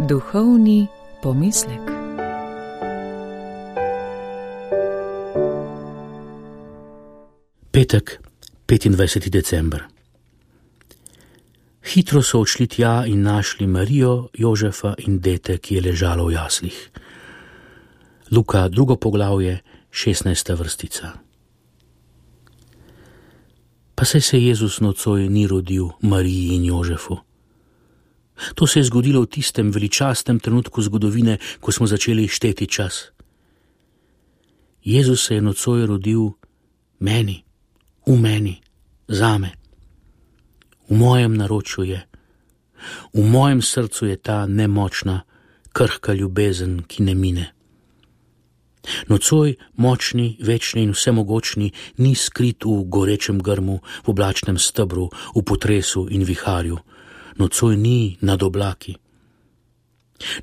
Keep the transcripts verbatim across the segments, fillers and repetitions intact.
Duhovni pomislek. Petek, petindvajseti december. Hitro so odšli tja in našli Marijo, Jožefa in dete, ki je ležalo v jaslih. Luka, drugo poglavje, šestnajsta vrstica. Pa saj se Jezus nocoj ni rodil Mariji in Jožefu. To se je zgodilo v tistem veličastnem trenutku zgodovine, ko smo začeli šteti čas. Jezus se je nocoj rodil meni, v meni, zame. V mojem naročju je, v mojem srcu je ta nemočna, krhka ljubezen, ki ne mine. Nocoj močni, večni in vsemogočni ni skrit v gorečem grmu, v oblačnem stebru, v potresu in viharju. Nocoj ni nad oblaki.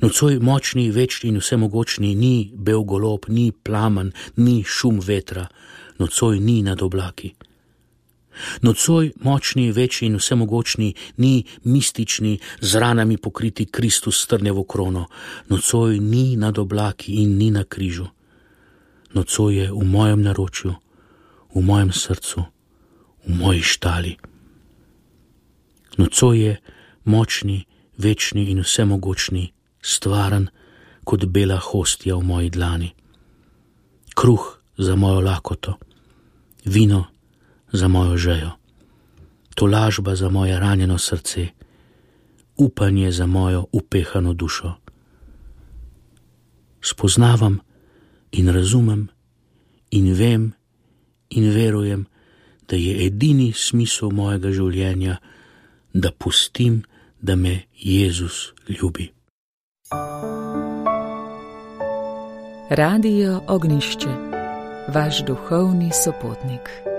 Nocoj močni, večni in vsemogočni ni bel golob, ni plamen, ni šum vetra. Nocoj ni nad oblaki. Nocoj močni, večni in vsemogočni ni mistični, z ranami pokriti Kristus s trnjevo krono. Nocoj ni nad oblaki in ni na križu. Nocoj je v mojem naročju, v mojem srcu, v moji štali. Nocoj je močni, večni in vsemogočni, stvaren kot bela hostja v moji dlani. Kruh za mojo lakoto, vino za mojo žejo, tolažba za moje ranjeno srce, upanje za mojo upehano dušo. Spoznavam in razumem in vem in verujem, da je edini smisel mojega življenja, da pustim, da me Jezus ljubi. Radio Ognjišče, vaš duhovni sopotnik.